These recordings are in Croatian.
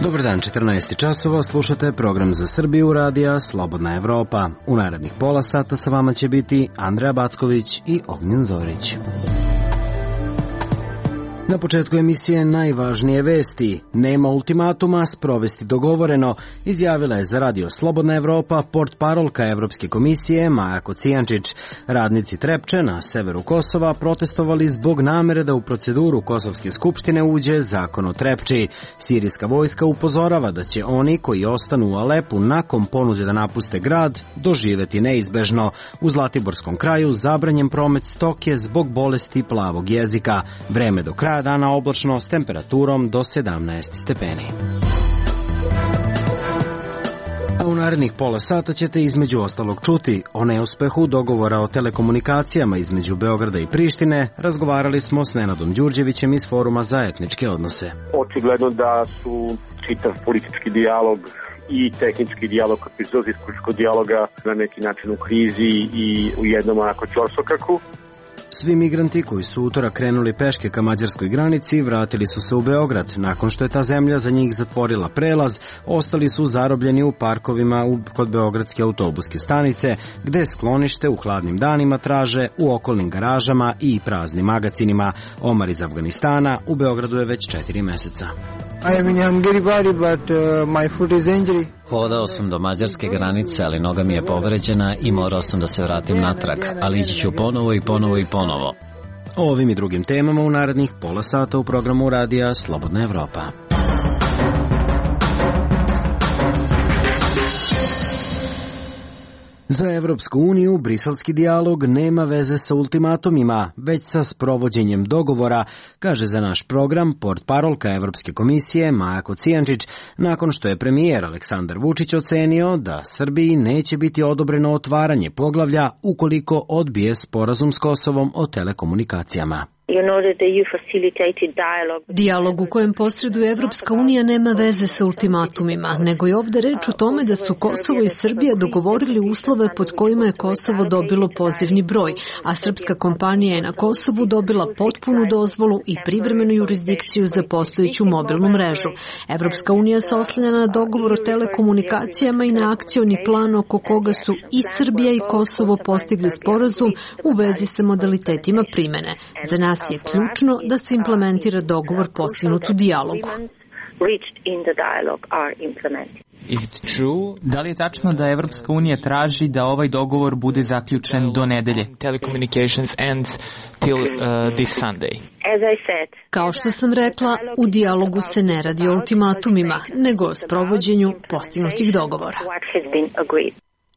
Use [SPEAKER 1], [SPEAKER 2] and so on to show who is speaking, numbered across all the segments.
[SPEAKER 1] Dobar dan, 14 časova, slušate program za Srbiju radija Slobodna Evropa. U narednih pola sata sa vama će biti Andreja Backović i Ognjen Zorić. Na početku emisije najvažnije vesti. Nema ultimatuma, sprovesti dogovoreno, izjavila je za radio Slobodna Evropa portparolka Evropske komisije Maja Kocijančić. Radnici Trepče na severu Kosova protestovali zbog namere da u proceduru Kosovske skupštine uđe zakon o Trepči. Sirijska vojska upozorava da će oni koji ostanu u Alepu nakon ponude da napuste grad doživeti neizbežno. U Zlatiborskom kraju zabranjen promet stoke zbog bolesti plavog jezika. Vreme do kraja dana oblačno s temperaturom do 17 stepeni. A u narednih pola sata ćete između ostalog čuti o neuspehu dogovora o telekomunikacijama između Beograda i Prištine. Razgovarali smo s Nenadom Đurđevićem iz Foruma za etničke odnose.
[SPEAKER 2] Očigledno da su čitav politički dijalog i tehnički dijalog, koji proizilazi iz političkog dijaloga, na neki način u krizi i u jednom onako ćorsokaku.
[SPEAKER 1] Svi migranti koji su utorak krenuli peške ka mađarskoj granici vratili su se u Beograd. Nakon što je ta zemlja za njih zatvorila prelaz, ostali su zarobljeni u parkovima kod beogradske autobuske stanice, gde sklonište u hladnim danima traže u okolnim garažama i praznim magacinima. Omar iz Afganistana u Beogradu je već 4 meseca.
[SPEAKER 3] I am in Hungary body, but my foot is injury.
[SPEAKER 4] Hodao sam do mađarske granice, ali noga mi je povređena i morao sam da se vratim natrag, ali ići ću ponovo i ponovo i ponovo.
[SPEAKER 1] O ovim i drugim temama u narednih pola sata u programu radija Slobodna Evropa. Za Evropsku uniju briselski dijalog nema veze sa ultimatumima, već sa sprovođenjem dogovora, kaže za naš program portparolka Evropske komisije Maja Kocijančić, nakon što je premijer Aleksandar Vučić ocenio da Srbiji neće biti odobreno otvaranje poglavlja ukoliko odbije sporazum s Kosovom o telekomunikacijama.
[SPEAKER 5] Dijalog u kojem posreduje Evropska unija nema veze sa ultimatumima, nego je ovde reč o tome da su Kosovo i Srbija dogovorili uslove pod kojima je Kosovo dobilo pozivni broj, a srpska kompanija je na Kosovu dobila potpunu dozvolu i privremenu jurisdikciju za postojeću mobilnu mrežu. Evropska unija se oslanja na dogovor o telekomunikacijama i na akcioni plan oko koga su i Srbija i Kosovo postigli sporazum u vezi sa modalitetima primene. Za nas je ključno da se implementira dogovor postignut u dijalogu.
[SPEAKER 6] Da li je tačno da Evropska unija traži da ovaj dogovor bude zaključen do nedelje?
[SPEAKER 5] Kao što sam rekla, u dijalogu se ne radi o ultimatumima, nego o sprovođenju postignutih dogovora.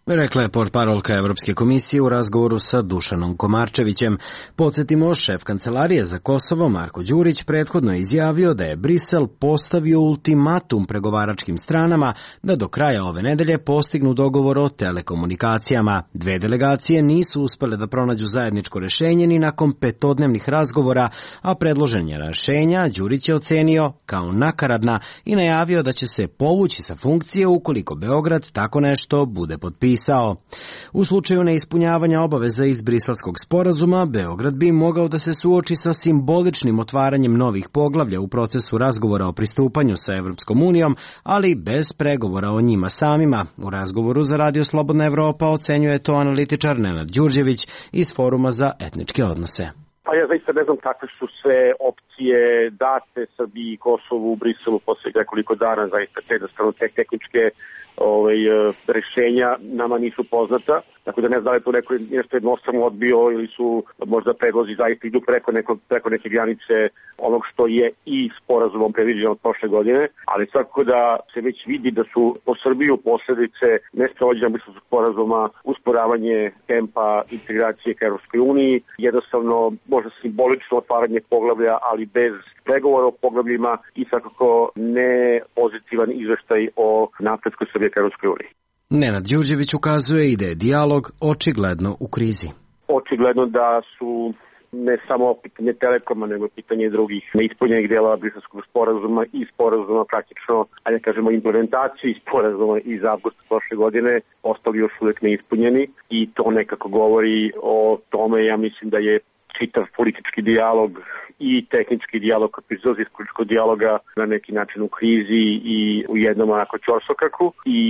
[SPEAKER 1] Rekla je portparolka Evropske komisije u razgovoru sa Dušanom Komarčevićem. Podsjetimo, šef Kancelarije za Kosovo Marko Đurić prethodno je izjavio da je Brisel postavio ultimatum pregovaračkim stranama da do kraja ove nedelje postignu dogovor o telekomunikacijama. Dve delegacije nisu uspele da pronađu zajedničko rešenje ni nakon 5-dnevnih razgovora, a predloženje rešenja Đurić je ocenio kao nakaradna i najavio da će se povući sa funkcije ukoliko Beograd tako nešto bude potpisao. U slučaju neispunjavanja obaveza iz Briselskog sporazuma, Beograd bi mogao da se suoči sa simboličnim otvaranjem novih poglavlja u procesu razgovora o pristupanju sa Evropskom unijom, ali bez pregovora o njima samima. U razgovoru za radio Slobodna Evropa ocenjuje to analitičar Nenad Đurđević iz Foruma za etničke odnose.
[SPEAKER 2] Pa ja zaista ne znam kakve su sve opcije date Srbiji i Kosovu u Briselu posle nekoliko dana, zaista jednostavno tehničke rešenja nama nisu poznata, tako da ne znam da je to nešto jednostavno odbio ili su možda predlozi zaista idu preko neke granice onog što je i sporazumom predviđeno od prošle godine, ali svakako da se već vidi da su po Srbiju posledice nesprovođenja Briselskog sporazuma usporavanje tempa integracije ka Evropskoj uniji, jednostavno možda simbolično otvaranje poglavlja, ali bez pregovora o poglavljima i svakako ne pozitivan izveštaj o napretku Srbije ka Evropskoj uniji.
[SPEAKER 1] Nenad Đurđević ukazuje i da je dijalog očigledno u krizi.
[SPEAKER 2] Očigledno da su ne samo pitanje Telekoma, nego pitanje drugih neispunjenih delova Briselskog sporazuma i sporazuma praktično, ajde kažemo, implementaciji sporazuma iz avgusta prošle godine ostali još uvek neispunjeni i to nekako govori o tome, ja mislim da je čitav politički dijalog i tehnički dijalog koji proizilazi iz političkog dijaloga na neki način u krizi i u jednom onako ćorsokaku. I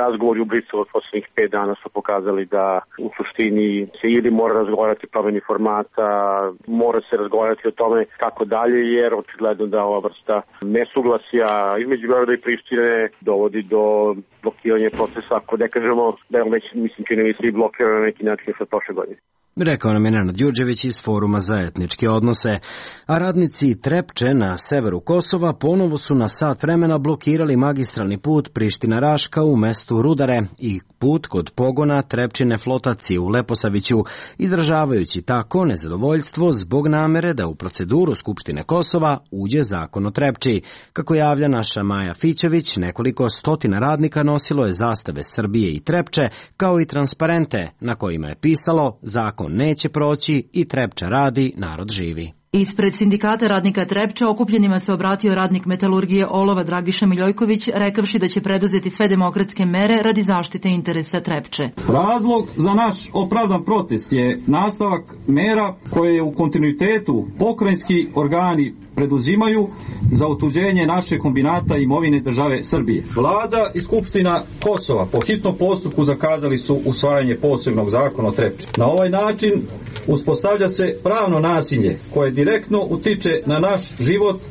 [SPEAKER 2] razgovori u Briselu od poslednjih 5 dana su pokazali da u suštini se ili mora razgovarati o promeni formata, mora se razgovarati o tome kako dalje, jer očigledno da ova vrsta nesuglasja između Beograda i Prištine dovodi do blokiranja procesa, ako ne kažemo da je on već, mislim, čini mi se i blokirano na neki način sa prošle godine.
[SPEAKER 1] Rekao nam je Nenad Đurđević iz Foruma za etničke odnose, a radnici Trepče na severu Kosova ponovo su na sat vremena blokirali magistralni put Priština-Raška u mestu Rudare i put kod pogona Trepčine flotacije u Leposaviću, izražavajući tako nezadovoljstvo zbog namere da u proceduru Skupštine Kosova uđe zakon o Trepči. Kako javlja naša Maja Fićević, nekoliko stotina radnika nosilo je zastave Srbije i Trepče, kao i transparente na kojima je pisalo zakon neće proći i Trepča radi, narod živi.
[SPEAKER 7] Ispred sindikata radnika Trepča okupljenima se obratio radnik metalurgije olova Dragiša Miljojković, rekavši da će preduzeti sve demokratske mere radi zaštite interesa Trepče.
[SPEAKER 8] Razlog za naš opravdan protest je nastavak mera koje u kontinuitetu pokrajinski organi preduzimaju za otuđenje naše kombinata imovine države Srbije. Vlada i Skupština Kosova po hitnom postupku zakazali su usvajanje posebnog zakona o Trepči. Na ovaj način uspostavlja se pravno nasilje koje direktno utiče na naš život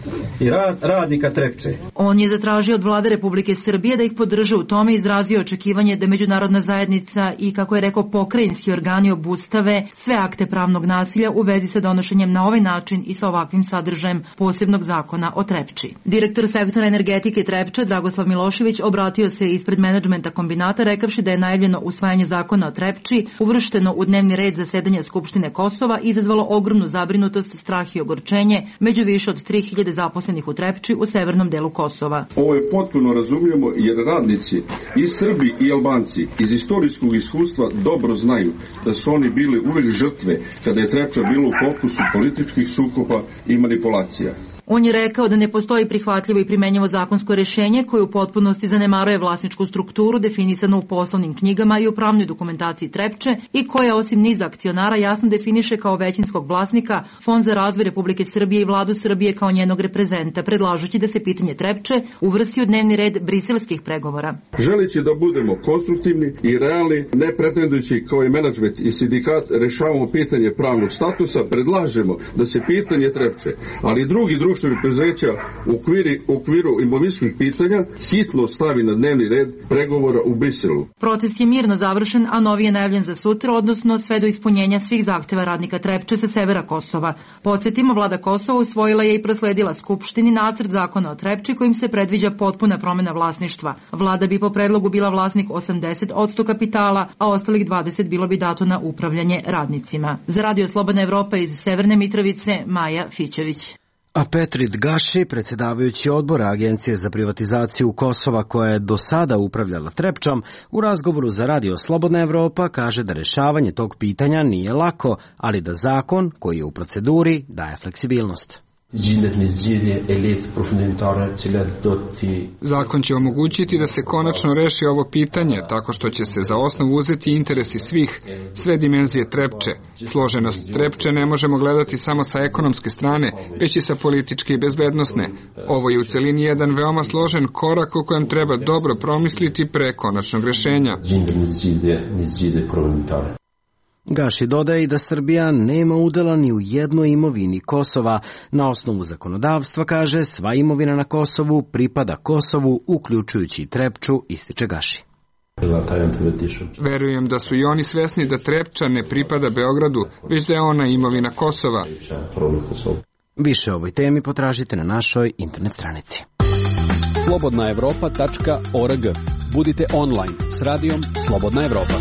[SPEAKER 8] i rad radnika Trepče.
[SPEAKER 7] On je zatražio od Vlade Republike Srbije da ih podrže u tome, izrazio očekivanje da međunarodna zajednica i, kako je rekao, pokrajinski organi obustave sve akte pravnog nasilja u vezi sa donošenjem na ovaj način i sa ovakvim sadržajem posebnog zakona o Trepči. Direktor sektora energetike Trepče Dragoslav Milošević obratio se ispred menadžmenta kombinata, rekavši da je najavljeno usvajanje zakona o Trepči uvršteno u dnevni red zasedanja Skupštine Kosova izazvalo ogromnu zabrinutost, strah i ogorčenje među više od 3000 zaposlenih u Trepči u severnom delu Kosova.
[SPEAKER 9] Ovo je potpuno razumljivo jer radnici i Srbi i Albanci iz istorijskog iskustva dobro znaju da su oni bili uvek žrtve kada je Trepča bilo u fokusu političkih sukoba i manipulacija.
[SPEAKER 7] On je rekao da ne postoji prihvatljivo i primenjivo zakonsko rešenje koje u potpunosti zanemaruje vlasničku strukturu definisanu u poslovnim knjigama i u pravnoj dokumentaciji Trepče i koja osim niza akcionara jasno definiše kao većinskog vlasnika Fond za razvoj Republike Srbije i Vladu Srbije kao njenog reprezenta, predlažući da se pitanje Trepče uvrsti u dnevni red briselskih pregovora.
[SPEAKER 9] Želeći da budemo konstruktivni i realni, ne pretendujući kao i menadžment i sindikat rešavamo pitanje pravnog statusa, predlažemo da se pitanje Trepče, ali i drugi preduzeća u okviru imovinskih pitanja hitno stavi na dnevni red pregovora u Briselu.
[SPEAKER 7] Protest je mirno završen, a novi je najavljen za sutra, odnosno sve do ispunjenja svih zahteva radnika Trepče sa severa Kosova. Podsjetimo, Vlada Kosova usvojila je i prosledila Skupštini nacrt zakona o Trepči kojim se predviđa potpuna promena vlasništva. Vlada bi po predlogu bila vlasnik 80% kapitala, a ostalih 20% bilo bi dato na upravljanje radnicima. Za Radio Slobodna Evropa iz Severne Mitrovice, Maja Fićević.
[SPEAKER 1] A Petrit Gaši, predsjedavajući odbora Agencije za privatizaciju Kosova koja je do sada upravljala Trepčom, u razgovoru za Radio Slobodna Evropa kaže da rešavanje tog pitanja nije lako, ali da zakon koji je u proceduri daje fleksibilnost.
[SPEAKER 10] Zakon će omogućiti da se konačno reši ovo pitanje tako što će se za osnovu uzeti interesi svih, sve dimenzije Trepče. Složenost Trepče ne možemo gledati samo sa ekonomske strane, već i sa političke i bezbednosne. Ovo je u celini jedan veoma složen korak o kojem treba dobro promisliti pre konačnog rešenja.
[SPEAKER 1] Gaši dodaje i da Srbija nema udela ni u jednoj imovini Kosova. Na osnovu zakonodavstva, kaže, sva imovina na Kosovu pripada Kosovu, uključujući i Trepču, ističe Gaši.
[SPEAKER 10] Verujem da su i oni svesni da Trepča ne pripada Beogradu, već da je ona imovina Kosova.
[SPEAKER 1] Više o ovoj temi potražite na našoj internet stranici.
[SPEAKER 11] slobodnaevropa.org. Budite online s radijom Slobodna Evropa.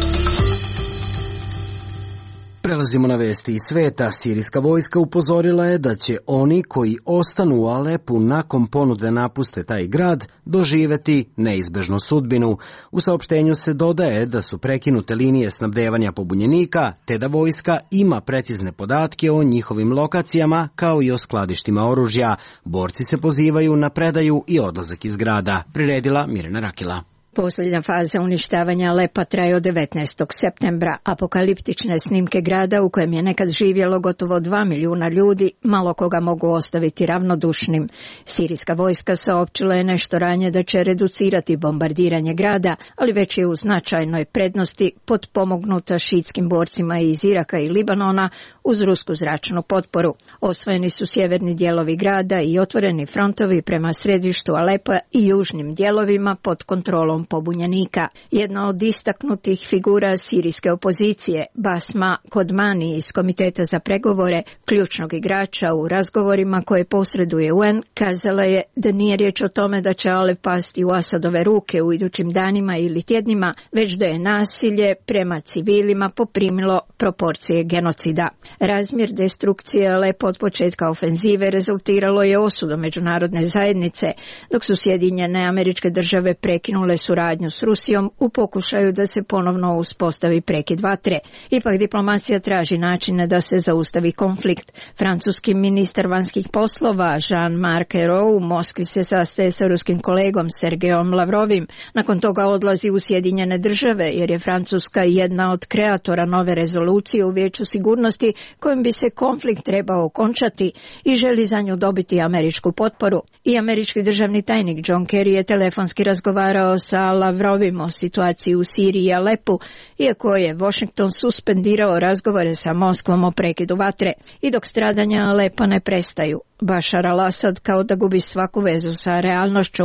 [SPEAKER 1] Prelazimo na vesti iz sveta. Sirijska vojska upozorila je da će oni koji ostanu u Alepu nakon ponude napuste taj grad doživeti neizbežnu sudbinu. U saopštenju se dodaje da su prekinute linije snabdevanja pobunjenika, te da vojska ima precizne podatke o njihovim lokacijama kao i o skladištima oružja. Borci se pozivaju na predaju i odlazak iz grada, priredila Mirjana Rakila.
[SPEAKER 12] Posljednja faza uništavanja Alepa traje od 19. septembra. Apokaliptične snimke grada u kojem je nekad živjelo gotovo 2 milijuna ljudi malo koga mogu ostaviti ravnodušnim. Sirijska vojska saopćila je nešto ranije da će reducirati bombardiranje grada, ali već je u značajnoj prednosti potpomognuta šiitskim borcima iz Iraka i Libanona uz rusku zračnu potporu. Osvojeni su sjeverni dijelovi grada i otvoreni frontovi prema središtu Alepa i južnim dijelovima pod kontrolom pobunjenika. Jedna od istaknutih figura sirijske opozicije, Basma Kodmani iz Komiteta za pregovore, ključnog igrača u razgovorima koje posreduje UN, kazala je da nije riječ o tome da će Alep pasti u Asadove ruke u idućim danima ili tjednima, već da je nasilje prema civilima poprimilo proporcije genocida. Razmjer destrukcije Alepa od početka ofenzive rezultiralo je osudom međunarodne zajednice, dok su Sjedinjene Američke Države prekinule suradnju s Rusijom u pokušaju da se ponovno uspostavi prekid vatre. Ipak diplomacija traži načine da se zaustavi konflikt. Francuski ministar vanjskih poslova Jean-Marc Ayrault u Moskvi se sastaje sa ruskim kolegom Sergejom Lavrovim. Nakon toga odlazi u Sjedinjene Države jer je Francuska jedna od kreatora nove rezolucije u Vijeću sigurnosti kojim bi se konflikt trebao okončati i želi za nju dobiti američku potporu. I američki državni tajnik John Kerry je telefonski razgovarao sa Lavrovim o situaciji u Siriji i Alepu, iako je Washington suspendirao razgovore sa Moskvom o prekidu vatre. I dok stradanja Alepa ne prestaju, Bashar al-Assad kao da gubi svaku vezu sa realnošću.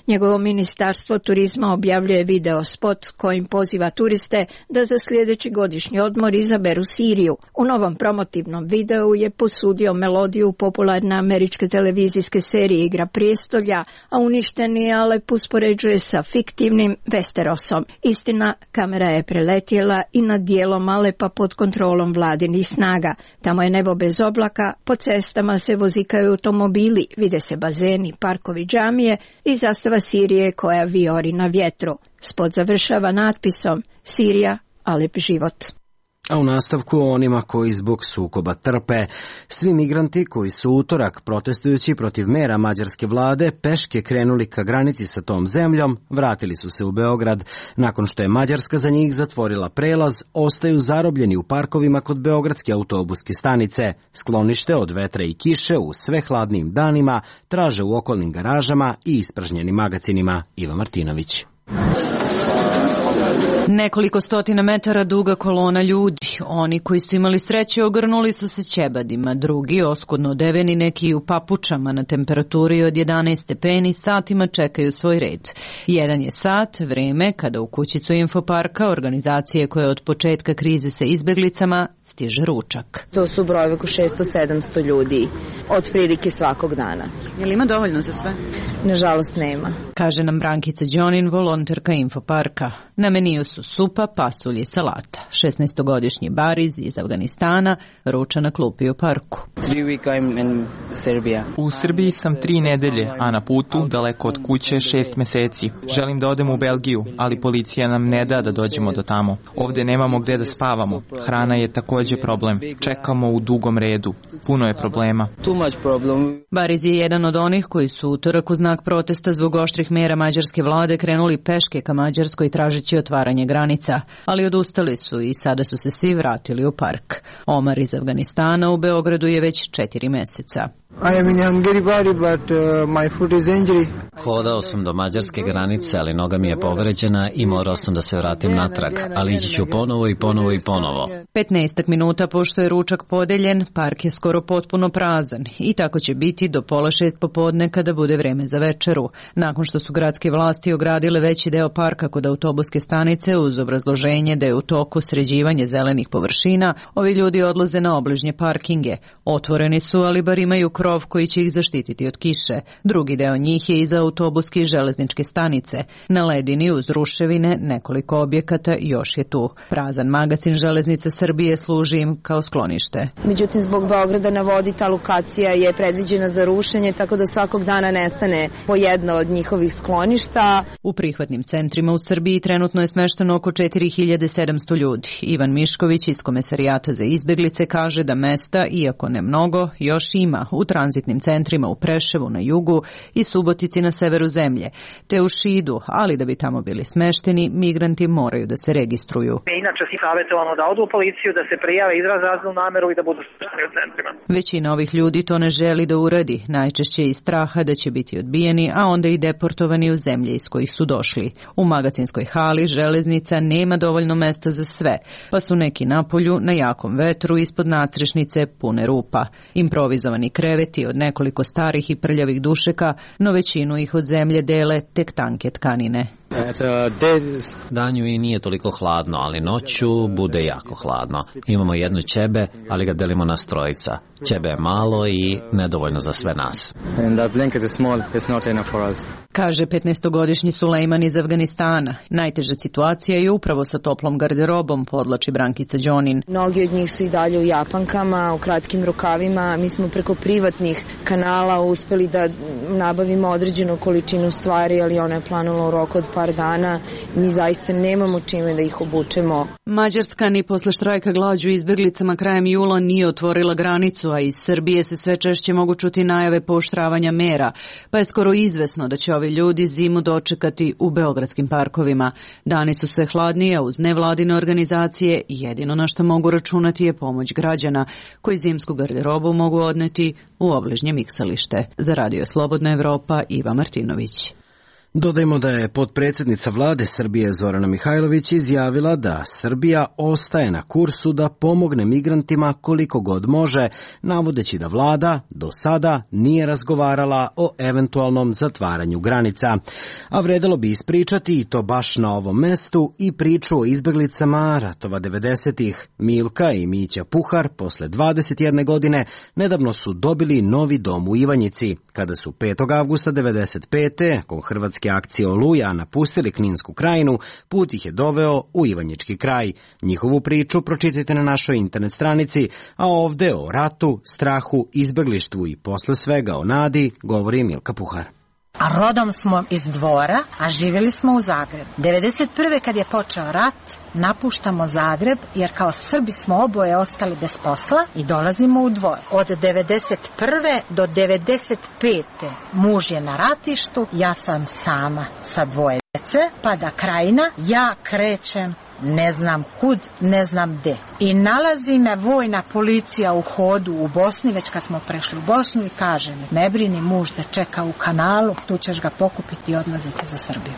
[SPEAKER 12] Njegovo ministarstvo turizma objavljuje video spot kojim poziva turiste da za sljedeći godišnji odmor izaberu Siriju. U novom promotivnom videu je posudio melodiju popularne američke televizijske serije Igra prijestolja, a uništeni Alep uspoređuje sa fiktivnim Westerosom. Istina, kamera je preletjela i nad dijelom Alepa pod kontrolom vladinih snaga. Tamo je nebo bez oblaka, po cestama se vozikaju automobili, vide se bazeni, parkovi, džamije i zastava Sirije koja vijori na vjetru. Spot završava natpisom Sirija, Alep život.
[SPEAKER 1] A u nastavku o onima koji zbog sukoba trpe. Svi migranti koji su utorak protestujući protiv mera mađarske vlade peške krenuli ka granici sa tom zemljom, vratili su se u Beograd. Nakon što je Mađarska za njih zatvorila prelaz, ostaju zarobljeni u parkovima kod beogradske autobuske stanice. Sklonište od vetra i kiše u sve hladnim danima traže u okolnim garažama i ispražnjenim magacinima. Iva Martinović.
[SPEAKER 13] Nekoliko stotina metara duga kolona ljudi. Oni koji su imali sreće ogrnuli su se ćebadima, drugi oskudno odeveni, neki u papučama na temperaturi od 11 stepeni satima čekaju svoj red. Jedan je sat, vreme kada u kućicu Infoparka, organizacije koje od početka krize sa izbjeglicama, stiže ručak.
[SPEAKER 14] To su brojevi oko 600-700 ljudi, otprilike svakog dana.
[SPEAKER 13] Je li ima dovoljno za sve?
[SPEAKER 14] Nažalost nema.
[SPEAKER 13] Kaže nam Brankica Đonin, volonterka Infoparka. Na meniju su supa, pasulj i salata. 16-godišnji Bariz iz Afganistana ruča na klupi u parku.
[SPEAKER 6] U Srbiji sam 3 nedelje, a na putu, daleko od kuće, 6 meseci. Želim da odem u Belgiju, ali policija nam ne da dođemo do tamo. Ovde nemamo gde da spavamo. Hrana je takođe problem. Čekamo u dugom redu. Puno je problema.
[SPEAKER 13] Bariz je jedan od onih koji su utorak u znak protesta zbog oštrih mera mađarske vlade krenuli peške ka Mađarskoj tražeći otvaranje granica, ali odustali su i sada su se svi vratili u park. Omar iz Afganistana u Beogradu je već 4 meseca.
[SPEAKER 3] I am in Hungary body, but my foot is injury.
[SPEAKER 4] Hodao sam do mađarske granice, ali noga mi je povređena i morao sam da se vratim natrag, ali ići ću ponovo i ponovo i ponovo.
[SPEAKER 13] 15 minuta pošto je ručak podeljen, park je skoro potpuno prazan i tako će biti do 5:30 popodne kada bude vreme za večeru. Nakon što su gradske vlasti ogradile veći deo parka kod autobuske stanice uz obrazloženje da je u toku sređivanje zelenih površina, ovi ljudi odlaze na obližnje parkinge. Otvoreni su, ali bar imaju krov koji će ih zaštititi od kiše. Drugi deo njih je iza autobuske i železničke stanice. Na ledini uz ruševine nekoliko objekata još je tu. Prazan magacin Železnica Srbije služi im kao sklonište.
[SPEAKER 14] Međutim, zbog Beograda na vodi ta lokacija je predviđena za rušenje, tako da svakog dana nestane po jedno od njihovih skloništa.
[SPEAKER 13] U prihvatnim centrima u Srbiji trenutno je smešteno oko 4700 ljudi. Ivan Mišković iz Komesarijata za izbeglice kaže da mesta, iako ne mnogo, još ima u tranzitnim centrima u Preševu na jugu i Subotici na severu zemlje, te u Šidu, ali da bi tamo bili smešteni, migranti moraju da se registruju.
[SPEAKER 15] Inače si savjetovano da odu u policiju, da se prijave, izraze raznu nameru i da budu smešteni u centrima.
[SPEAKER 13] Većina ovih ljudi to ne želi da uradi, najčešće iz straha da će biti odbijeni, a onda i deportovani u zemlje iz kojih su došli. U magacinskoj hali železnica nema dovoljno mesta za sve, pa su neki napolju na jakom vetru ispod nadstrešnice pune rupa. Improvizovani kreveti od nekoliko starih i prljavih dušeka, no većinu ih od zemlje dele tek tanke tkanine.
[SPEAKER 4] Danju i nije toliko hladno, ali noću bude jako hladno. Imamo jednu ćebe, ali ga delimo na trojica. Ćebe je malo i nedovoljno za sve nas.
[SPEAKER 13] Kaže 15-godišnji Sulejman iz Afganistana. Najteža situacija je upravo sa toplom garderobom, podlači Brankica Đonin.
[SPEAKER 14] Mnogi od njih su i dalje u japankama, u kratkim rukavima. Mi smo preko privatnih kanala uspeli da nabavimo određenu količinu stvari, ali ona je planula u roku od par dana. Mi zaista nemamo čime da ih obučemo.
[SPEAKER 13] Mađarska ni posle štrajka glađu izbeglicama krajem jula nije otvorila granicu, a iz Srbije se sve češće mogu čuti najave pooštravanja mera, pa je skoro izvesno da će ovi ljudi zimu dočekati u beogradskim parkovima. Dani su sve hladnije, uz nevladine organizacije i jedino na što mogu računati je pomoć građana, koji zimsku garderobu mogu odneti u obližnje miksalište. Za Radio Slobodna Evropa, Iva Martinović.
[SPEAKER 1] Dodajmo da je potpredsjednica vlade Srbije Zorana Mihajlović izjavila da Srbija ostaje na kursu da pomogne migrantima koliko god može, navodeći da vlada do sada nije razgovarala o eventualnom zatvaranju granica. A vredelo bi ispričati, i to baš na ovom mestu, i priču o izbeglicama ratova 90-ih. Milka i Mića Puhar posle 21 godine nedavno su dobili novi dom u Ivanjici. Kada su 5. avgusta 95. nakon hrvatske akcije Oluja napustili Kninsku krajinu, put ih je doveo u Ivanjički kraj. Njihovu priču pročitajte na našoj internet stranici, a ovde o ratu, strahu, izbeglištvu i posle svega o nadi govori Milka Puhar.
[SPEAKER 16] A rodom smo iz Dvora, a živjeli smo u Zagrebu. 91. kad je počeo rat, napuštamo Zagreb, jer kao Srbi smo oboje ostali bez posla i dolazimo u Dvor. Od 91. do 95. muž je na ratištu, ja sam sama sa 2 djece, pada Krajina, ja krećem ne znam kud, ne znam gde. I nalazi me vojna policija u hodu u Bosni, već kad smo prešli u Bosnu, i kaže mi, ne brini, muž da čeka u kanalu, tu ćeš ga pokupiti i odlaziti za Srbiju.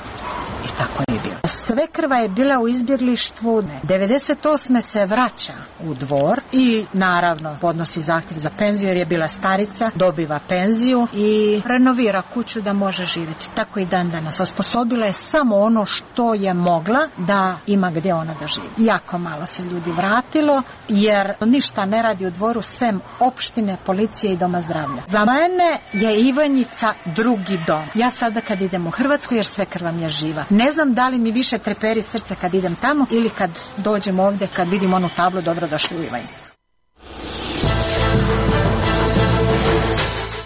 [SPEAKER 16] I tako je bilo. Svekrva je bila u izbjeglištvu. 98. se vraća u Dvor i naravno podnosi zahtjev za penziju jer je bila starica, dobiva penziju i renovira kuću da može živjeti. Tako i dan danas. Osposobila je samo ono što je mogla da ima gdje ona da živi. Jako malo se ljudi vratilo jer ništa ne radi u Dvoru sem opštine, policije i doma zdravlja. Za mene je Ivanjica drugi dom. Ja sada kad idem u Hrvatsku, jer svekrva mi je živa, ne znam da li mi više treperi srce kad idem tamo ili kad dođem ovdje, kad vidim onu tablu dobrodošli u Ivanjicu.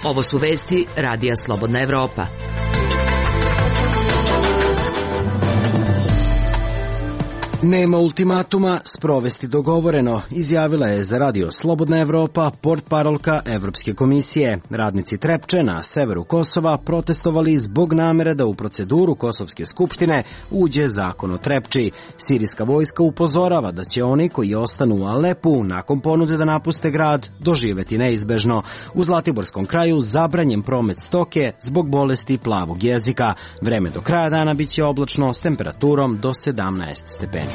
[SPEAKER 17] Ovo su vesti Radija Slobodna Evropa.
[SPEAKER 1] Nema ultimatuma, sprovesti dogovoreno, izjavila je za Radio Slobodna Evropa portparolka Evropske komisije. Radnici Trepče na severu Kosova protestovali zbog namere da u proceduru Kosovske skupštine uđe zakon o Trepči. Sirijska vojska upozorava da će oni koji ostanu u Alepu nakon ponude da napuste grad doživeti neizbežno. U Zlatiborskom kraju zabranjen promet stoke zbog bolesti plavog jezika. Vreme do kraja dana biće oblačno s temperaturom do 17 stepeni.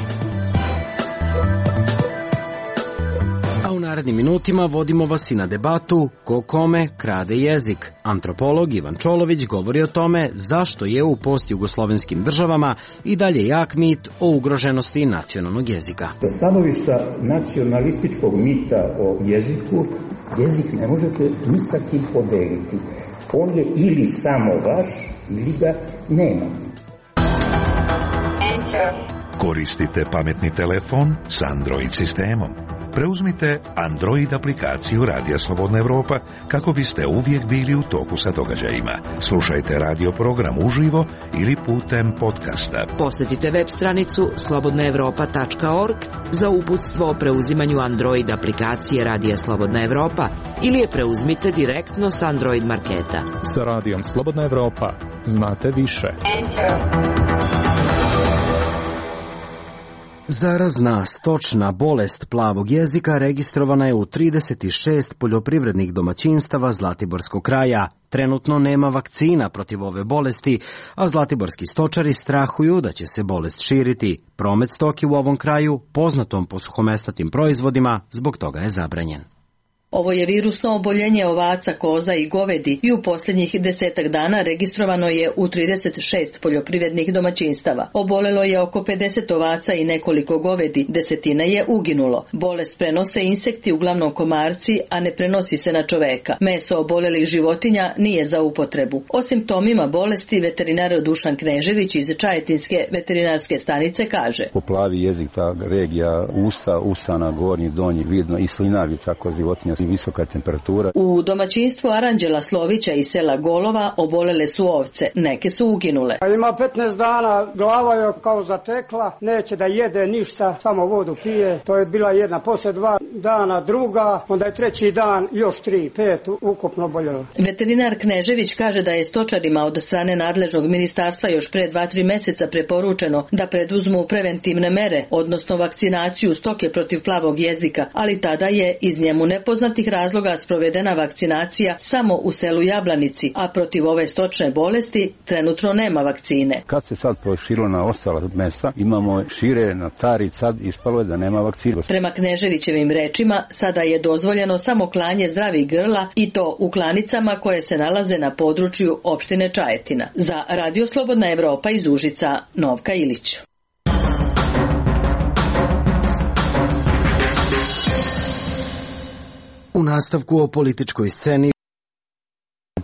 [SPEAKER 1] A u narednim minutima vodimo vas i na debatu ko kome krade jezik. Antropolog Ivan Čolović govori o tome zašto je u postjugoslovenskim državama i dalje jak mit o ugroženosti nacionalnog jezika.
[SPEAKER 18] Sa stanovišta nacionalističkog mita o jeziku, jezik ne možete ni sa kim podeliti. On je ili samo vaš, ili ga nema.
[SPEAKER 19] Koristite pametni telefon s Android sistemom. Preuzmite Android aplikaciju Radija Slobodna Evropa kako biste uvijek bili u toku sa događajima. Slušajte radio program uživo ili putem podcasta.
[SPEAKER 17] Posjetite web stranicu slobodnaevropa.org za uputstvo o preuzimanju Android aplikacije Radija Slobodna Evropa ili je preuzmite direktno s Android marketa.
[SPEAKER 20] Sa Radijom Slobodna Evropa znate više.
[SPEAKER 1] Zarazna stočna bolest plavog jezika registrovana je u 36 poljoprivrednih domaćinstava Zlatiborskog kraja. Trenutno nema vakcina protiv ove bolesti, a zlatiborski stočari strahuju da će se bolest širiti. Promet stoke u ovom kraju, poznatom po suhomesnatim proizvodima, zbog toga je zabranjen.
[SPEAKER 21] Ovo je virusno oboljenje ovaca, koza i govedi i u posljednjih 10 dana registrovano je u 36 poljoprivrednih domaćinstava. Obolelo je oko 50 ovaca i nekoliko govedi, 10 je uginulo. Bolest prenose insekti, uglavnom komarci, a ne prenosi se na čoveka. Meso obolelih životinja nije za upotrebu. O simptomima bolesti veterinar Dušan Knežević iz Čajetinske veterinarske stanice kaže:
[SPEAKER 22] Poplavi jezik, ta regija usta, usana, gornji, donji, vidno i slinavica kod životinja i visoka temperatura.
[SPEAKER 21] U domaćinstvu Aranđela Slovića iz sela Golova obolele su ovce, neke su uginule.
[SPEAKER 23] Ima 15 dana, glava je kao zatekla, neće da jede ništa, samo vodu pije. To je bila jedna, posle 2 dana druga, onda je 3. dan još 3, 5 ukupno oboljelo.
[SPEAKER 21] Veterinar Knežević kaže da je stočarima od strane nadležnog ministarstva još pre 2-3 meseca preporučeno da preduzmu preventivne mere, odnosno vakcinaciju stoke protiv plavog jezika, ali tada je iz njemu nepoznatih razloga sprovedena vakcinacija samo u selu Jablanici, a protiv ove stočne bolesti trenutno nema vakcine.
[SPEAKER 22] Kad se sad proširilo na ostala mesta, imamo šire na Tari, sad ispalo je da nema vakcine.
[SPEAKER 21] Prema Kneževićevim rečima, sada je dozvoljeno samo klanje zdravih grla i to u klanicama koje se nalaze na području opštine Čajetina. Za Radio Slobodna Evropa iz Užica, Novka Ilić.
[SPEAKER 1] U nastavku o političkoj sceni,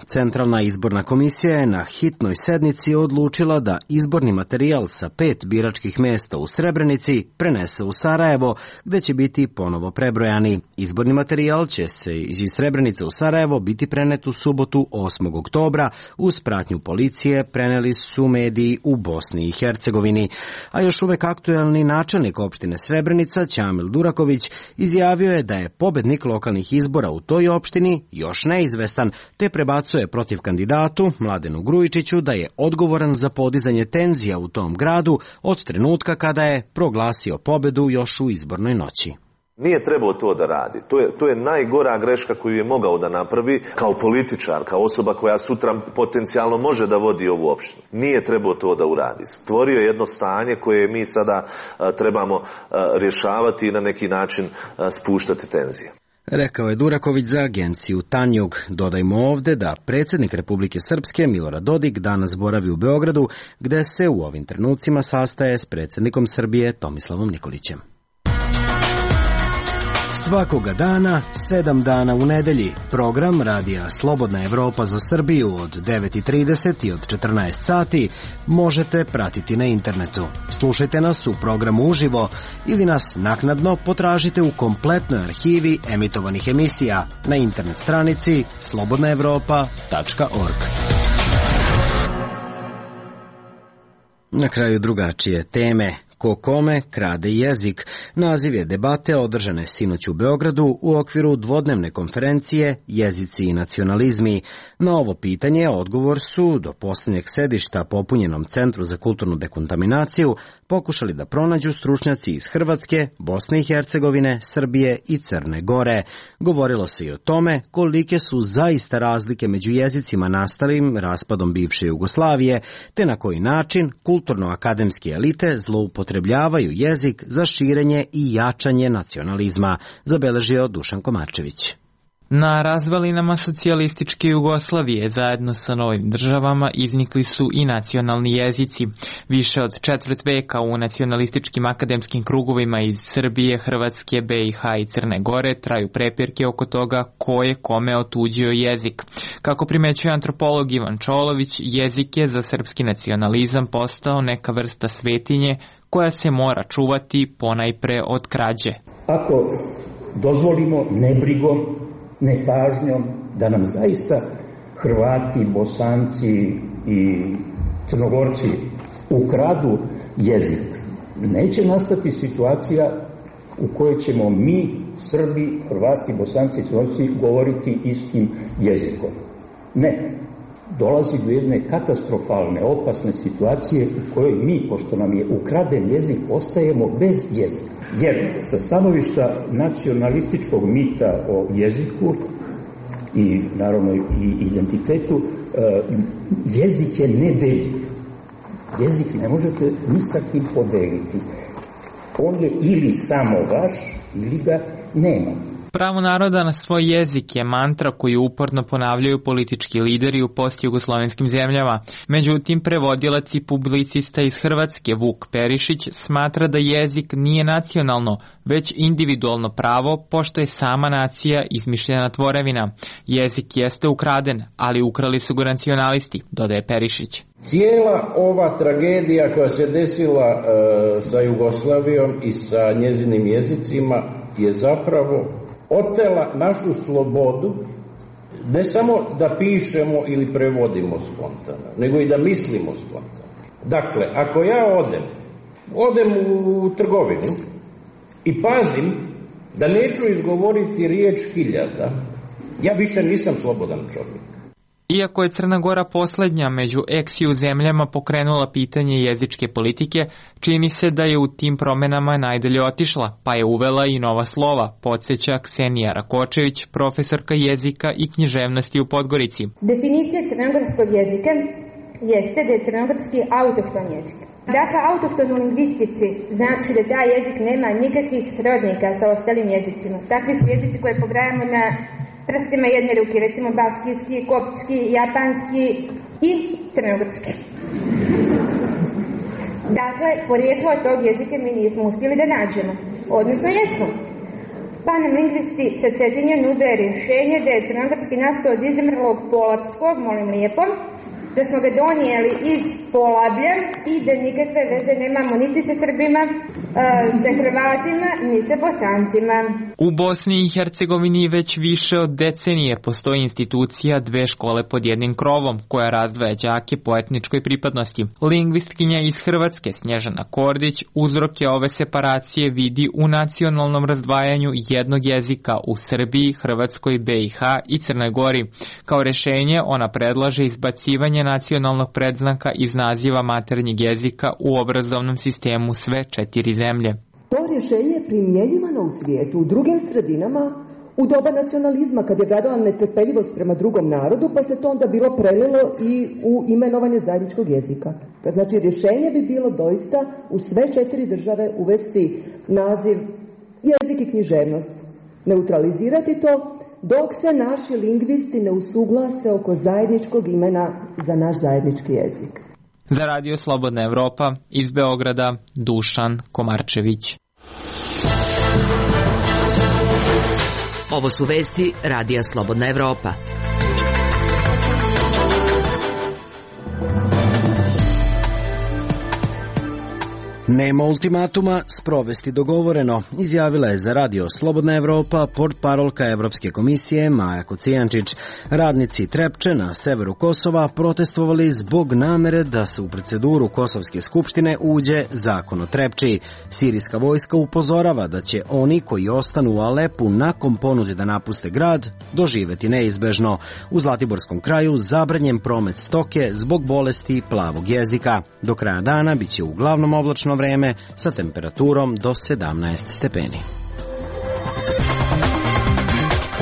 [SPEAKER 1] Centralna izborna komisija je na hitnoj sednici odlučila da izborni materijal sa 5 biračkih mjesta u Srebrenici prenese u Sarajevo, gde će biti ponovo prebrojani. Izborni materijal će se iz Srebrenice u Sarajevo biti prenet u subotu 8. oktobra. Uz pratnju policije preneli su mediji u Bosni i Hercegovini. A još uvek aktuelni načelnik opštine Srebrenica, Ćamil Duraković, izjavio je da je pobednik lokalnih izbora u toj opštini još neizvestan, te prebacuje protiv kandidatu Mladenu Grujičiću da je odgovoran za podizanje tenzija u tom gradu od trenutka kada je proglasio pobedu još u izbornoj noći.
[SPEAKER 24] Nije trebao to da radi. To je najgora greška koju je mogao da napravi kao političar, kao osoba koja sutra potencijalno može da vodi ovu opštinu. Nije trebao to da uradi. Stvorio je jedno stanje koje mi sada trebamo rješavati i na neki način spuštati tenzije.
[SPEAKER 1] Rekao je Duraković za agenciju Tanjug. Dodajmo ovde da predsjednik Republike Srpske Milorad Dodik danas boravi u Beogradu, gde se u ovim trenucima sastaje s predsjednikom Srbije Tomislavom Nikolićem. Svakoga dana, 7 dana u nedelji, program Radija Slobodna Evropa za Srbiju od 9:30 i od 14 sati možete pratiti na internetu. Slušajte nas u programu uživo ili nas naknadno potražite u kompletnoj arhivi emitovanih emisija na internet stranici slobodnaevropa.org. Na kraju drugačije teme. Ko kome krade jezik. Naziv je debate održane sinoć u Beogradu u okviru dvodnevne konferencije Jezici i nacionalizmi. Na ovo pitanje odgovor su do posljednjeg sedišta popunjenom Centru za kulturnu dekontaminaciju pokušali da pronađu stručnjaci iz Hrvatske, Bosne i Hercegovine, Srbije i Crne Gore. Govorilo se i o tome kolike su zaista razlike među jezicima nastalim raspadom bivše Jugoslavije, te na koji način kulturno-akademske elite zloupotrebljavaju jezik za širenje i jačanje nacionalizma, zabeležio Dušan Komarčević.
[SPEAKER 6] Na razvalinama socijalističke Jugoslavije zajedno sa novim državama iznikli su i nacionalni jezici. Više od četvrt veka u nacionalističkim akademskim krugovima iz Srbije, Hrvatske, BiH i Crne Gore traju prepirke oko toga ko je kome otuđio jezik. Kako primećuje antropolog Ivan Čolović, jezik je za srpski nacionalizam postao neka vrsta svetinje koja se mora čuvati ponajpre od krađe.
[SPEAKER 18] Ako dozvolimo nebrigom, nepažnjom da nam zaista Hrvati, Bosanci i Crnogorci ukradu jezik, neće nastati situacija u kojoj ćemo mi, Srbi, Hrvati, Bosanci i Crnogorci govoriti istim jezikom. Ne. Dolazi do jedne katastrofalne, opasne situacije u kojoj mi, pošto nam je ukraden jezik, ostajemo bez jezika. Jer sa stanovišta nacionalističkog mita o jeziku i naravno i identitetu, jezik je nedeljiv. Jezik ne možete ni sa kim podeliti. On je ili samo vaš, ili ga nema.
[SPEAKER 6] Pravo naroda na svoj jezik je mantra koju uporno ponavljaju politički lideri u postjugoslovenskim zemljama. Međutim, prevodilac i publicista iz Hrvatske Vuk Perišić smatra da jezik nije nacionalno, već individualno pravo, pošto je sama nacija izmišljena tvorevina. Jezik jeste ukraden, ali ukrali su ga nacionalisti, dodaje Perišić.
[SPEAKER 2] Cijela ova tragedija koja se desila sa Jugoslavijom i sa njezinim jezicima je zapravo otela našu slobodu, ne samo da pišemo ili prevodimo spontano, nego i da mislimo spontano. Dakle, ako ja odem u trgovinu i pazim da neću izgovoriti riječ hiljada, ja više nisam slobodan čovjek.
[SPEAKER 6] Iako je Crna Gora poslednja među ex-ju zemljama pokrenula pitanje jezičke politike, čini se da je u tim promenama najdalje otišla, pa je uvela i nova slova, podsjeća Ksenija Rakočević, profesorka jezika i književnosti u Podgorici.
[SPEAKER 5] Definicija crnogorskog jezika jeste da je crnogorski autohton jezik. Dakle, autohton u lingvistici znači da taj jezik nema nikakvih srodnika sa ostalim jezicima. Takvi su jezici koje pobrajamo na prstima jedne ruke, recimo baskijski, koptski, japanski i crnogorski. Dakle, porijeklo tog jezika mi nismo uspjeli da nađemo, odnosno jesmo. Pa nam lingvisti sa Cetinja nude rješenje da je crnogorski nastao od izmrlog polapskog, molim lijepo, da smo ga donijeli iz Polablja i da nikakve veze nemamo niti sa Srbima, sa Hrvatima, ni sa Bosancima.
[SPEAKER 6] U Bosni i Hercegovini već više od decenije postoji institucija dve škole pod jednim krovom, koja razdvaja đake po etničkoj pripadnosti. Lingvistkinja iz Hrvatske Snježana Kordić uzroke ove separacije vidi u nacionalnom razdvajanju jednog jezika u Srbiji, Hrvatskoj, BiH i Crnoj Gori. Kao rešenje ona predlaže izbacivanje nacionalnog predznaka iz naziva maternjeg jezika u obrazovnom sistemu sve 4 zemlje.
[SPEAKER 8] To rješenje je primjenjivano u svijetu, u drugim sredinama, u doba nacionalizma, kad je vladala netrpeljivost prema drugom narodu, pa se to onda bilo prelilo i u imenovanje zajedničkog jezika. Znači, rješenje bi bilo doista u sve 4 države uvesti naziv jezik i književnost, neutralizirati to, dok se naši lingvisti ne usuglase oko zajedničkog imena za naš zajednički jezik.
[SPEAKER 6] Za Radio Slobodna Evropa iz Beograda, Dušan Komarčević.
[SPEAKER 17] Ovo su vesti Radija Slobodna Evropa.
[SPEAKER 1] Nema ultimatuma, sprovesti dogovoreno, izjavila je za Radio Slobodna Evropa portparolka Evropske komisije Maja Kocijančić. Radnici Trepče na severu Kosova protestovali zbog namere da se u proceduru Kosovske skupštine uđe zakon o Trepči. Sirijska vojska upozorava da će oni koji ostanu u Alepu nakon ponude da napuste grad doživeti neizbežno. U Zlatiborskom kraju zabranjen promet stoke zbog bolesti plavog jezika. Do kraja dana biće uglavnom oblačno vreme sa temperaturom do 17 stepeni.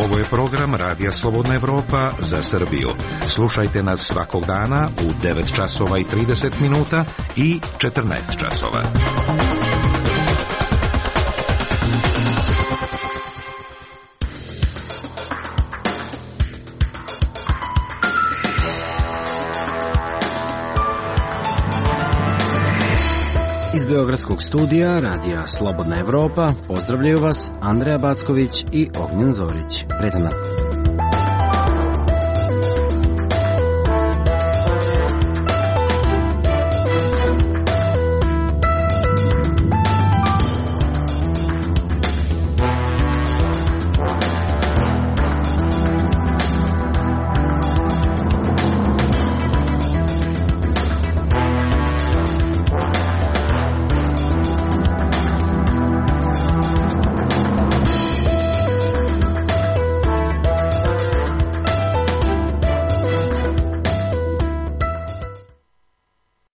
[SPEAKER 19] Ovo je program Radija Slobodna Evropa za Srbiju. Slušajte nas svakog dana u 9 časova i 30 minuta i 14 časova.
[SPEAKER 1] Iz Beogradskog studija Radija Slobodna Evropa pozdravljaju vas Andreja Backović i Ognjen Zorić. Prijetan dan.